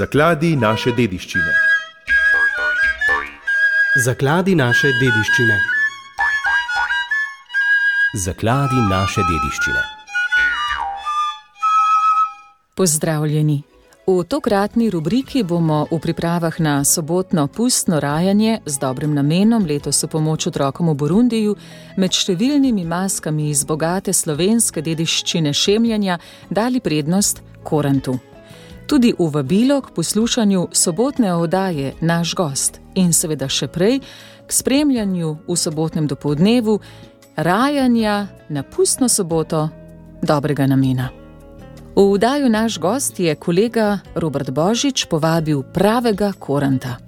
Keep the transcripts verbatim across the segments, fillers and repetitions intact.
Zakladi naše dediščine. Zakladi naše dediščine. Zakladi naše dediščine. Pozdravljeni. V tokratni rubriki bomo v pripravah na sobotno pustno rajanje z dobrim namenom, letos v pomoč otrokom v Burundiju, med številnimi maskami iz bogate slovenske dediščine šemljanja dali prednost korantu. Tudi v vabilo k poslušanju sobotne oddaje Naš gost in seveda še prej k spremljanju v sobotnem dopoldnevu rajanja na pustno soboto dobrega namena. V oddajo Naš gost je kolega Robert Božič povabil pravega koranta.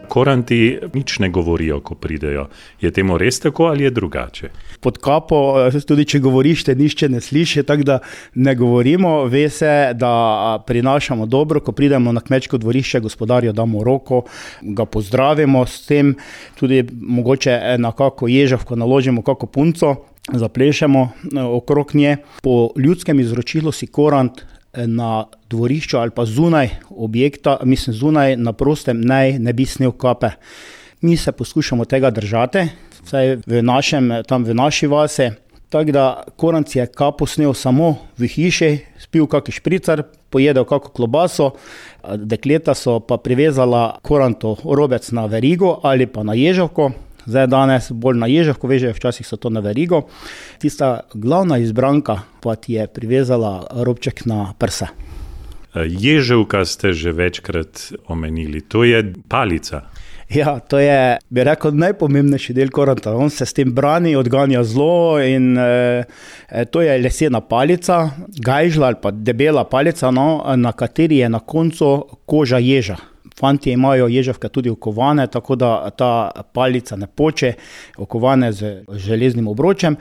Koranti nič ne govorijo, ko pridejo. Je temu res tako ali je drugače? Pod kapo, tudi če govoriš, te nišče ne sliši, tako da ne govorimo. Ve se, da prinašamo dobro, ko pridemo na kmečko dvorišče, gospodarju damo roko, ga pozdravimo s tem, tudi mogoče na kako ježavko naložimo, kako punco, zaplešemo okrog nje. Po ljudskem izročilu si korant na dvorišču ali pa zunaj objekta, mislim zunaj na prostem, naj ne bi snel kape. Mi se poskušamo tega držati, vsaj v našem, tam v naši vasi, tako da korant je kapo snel samo v hiši, spil kaki špricar, pojedel kako klobaso, dekleta so pa privezala koranto robec na verigo ali pa na ježavko. Zdaj danes bolj na ježavko vežejo, včasih so to na verigo. Tista glavna izbranka pa ti je privezala robček na prse. Ježavka ste že večkrat omenili, to je palica. Ja, to je, bi rekel, najpomembnejši del koranta. On se s tem brani, odganja zlo in e, to je lesena palica, gajžla ali pa debela palica, no, na kateri je na koncu koža ježa. Fantje imajo ježavke tudi okovane, tako da ta palica ne poče, okovane z železnim obročem.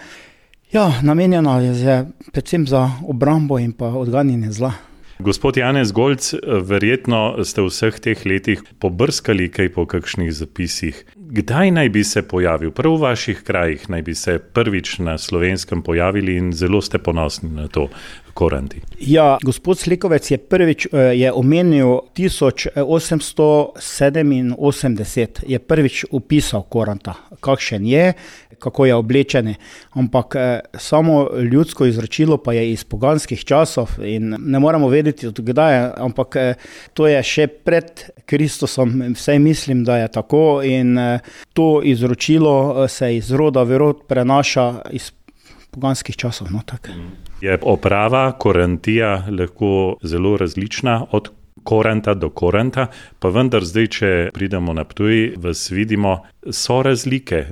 Ja, namenjena je predvsem za obrambo in pa odganjanje zla. Gospod Janez Golc, verjetno ste v vseh teh letih pobrskali kaj po kakšnih zapisih. Kdaj naj bi se pojavil? Prav v vaših krajih naj bi se prvič na Slovenskem pojavili in zelo ste ponosni na to, koranti. Ja, gospod Slikovec je prvič je omenil tisoč osemsto sedeminosemdeset, je prvič opisal koranta, kakšen je, kako je oblečen, ampak samo ljudsko izročilo pa je iz poganskih časov in ne moramo vedeti od kdaj, ampak to je še pred Kristusom, vsaj mislim, da je tako in to izročilo se iz roda v rod prenaša iz poganskih časov. No, tak. Je oprava korantija lahko zelo različna od koranta do koranta, pa vendar zdaj, če pridemo na Ptuj, vas vidimo, so razlike.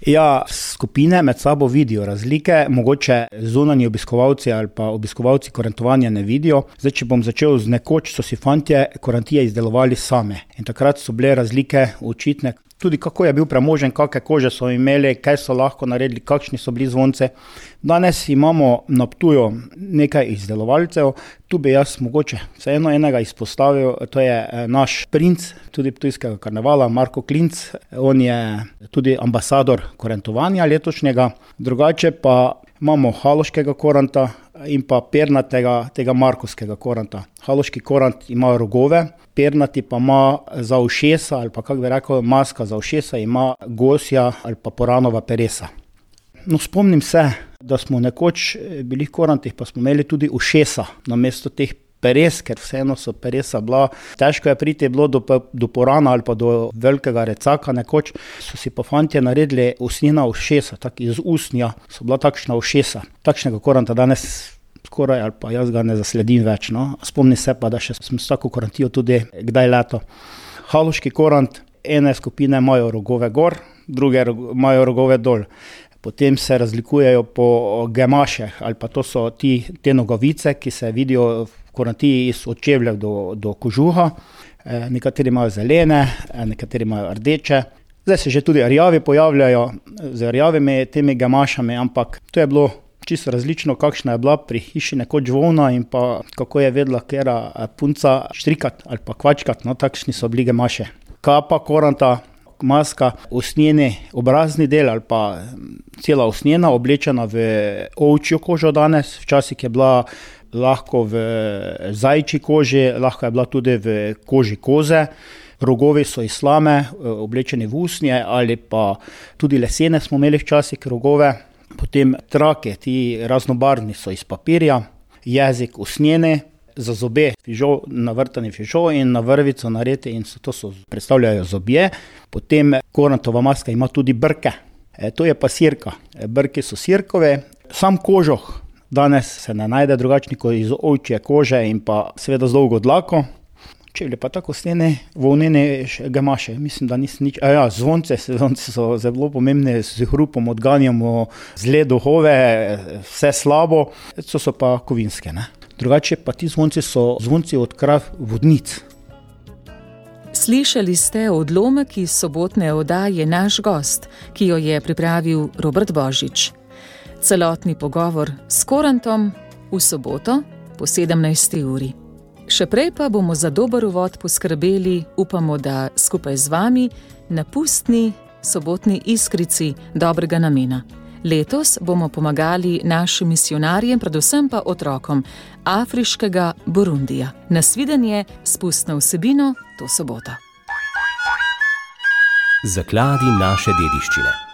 Ja, skupine med sabo vidijo razlike, mogoče zunanji obiskovalci ali pa obiskovalci korantovanja ne vidijo. Zdaj, če bom začel z nekoč, so si fantje korantije izdelovali same in takrat so bile razlike očitne. Tudi kako je bil premožen, kakšne kože so imeli, kaj so lahko naredili, kakšni so bili zvonce. Danes imamo na Ptuju nekaj izdelovalcev, tu bi jaz mogoče vseeno enega izpostavil, to je naš princ, tudi ptujskega karnevala, Marko Klinc. On je tudi ambasador korantovanja letošnjega, drugače pa imamo haloškega koranta in pa pernatega tega markovskega koranta. Haloški korant ima rogove, pernati pa ima za ušesa, ali pa kako bi rekel, maska za ušesa ima gosja ali pa poranova peresa. No, spomnim se, da smo nekoč bili v korantih, pa smo imeli tudi ušesa namesto teh peres, ker vseeno so peresa bila, težko je priti bilo do, do porana ali pa do velikega recaka nekoč, so si pa fantje naredili usnjena ušesa, tak iz usnja so bila takšna ušesa. Takšnega koranta danes skoraj ali pa jaz ga ne zasledim več, no. Spomni se pa, da še sem s tako korantijo tudi kdaj leto. Haloški korant, ene skupine imajo rogove gor, druge imajo rogove dol. Potem se razlikujejo po gemašeh, ali pa to so ti, te nogavice, ki se vidijo v korantiji iz od čevljev do, do kožuha. E, nekateri imajo zelene, nekateri imajo rdeče. Zdaj se že tudi rjavi pojavljajo z rjavimi temi gemašami, ampak to je bilo čisto različno, kakšna je bila pri hiši nekoč volna in pa kako je vedela kera punca štrikat ali pa kvačkat, no takšni so bili gemaše. Kapa koranta, maska, usnjeni obrazni del ali pa cela usnjena, oblečena v ovčjo kožo danes, včasih je bila lahko v zajčji koži, lahko je bila tudi v koži koze. Rogovi so iz slame, oblečeni v usnje ali pa tudi lesene smo imeli včasih rogove. Potem trake, ti raznobarvni so iz papirja, jezik usnjeni, za zobe fižol, navrtani fižol in na vrvico naredi in so, to so, predstavljajo zobje. Potem korantova maska ima tudi brke, e, to je pa sirka. E, brki so sirkove, sam kožoh danes se ne najde drugačni kot iz ovčje kože in pa seveda z dolgo dlako. Čevlji pa tako stene, volnene gamaše, mislim, da nisem nič. A ja, zvonce, zvonce so zelo pomembne, z hrupom odganjamo zle duhove, vse slabo, to so pa kovinske, ne. Drugače pa ti zvonci so zvonci od krav vodnic. Slišali ste odlomek iz sobotne oddaje Naš gost, ki jo je pripravil Robert Božič. Celotni pogovor s Korantom v soboto po sedemnajsti uri. Še prej pa bomo za dober uvod poskrbeli, upamo, da skupaj z vami, na pustni sobotni iskrici dobrega namena. Letos bomo pomagali našim misionarjem, predvsem pa otrokom afriškega Burundija. Nasvidenje s pustno vsebino to soboto. Zakladi naše dediščine.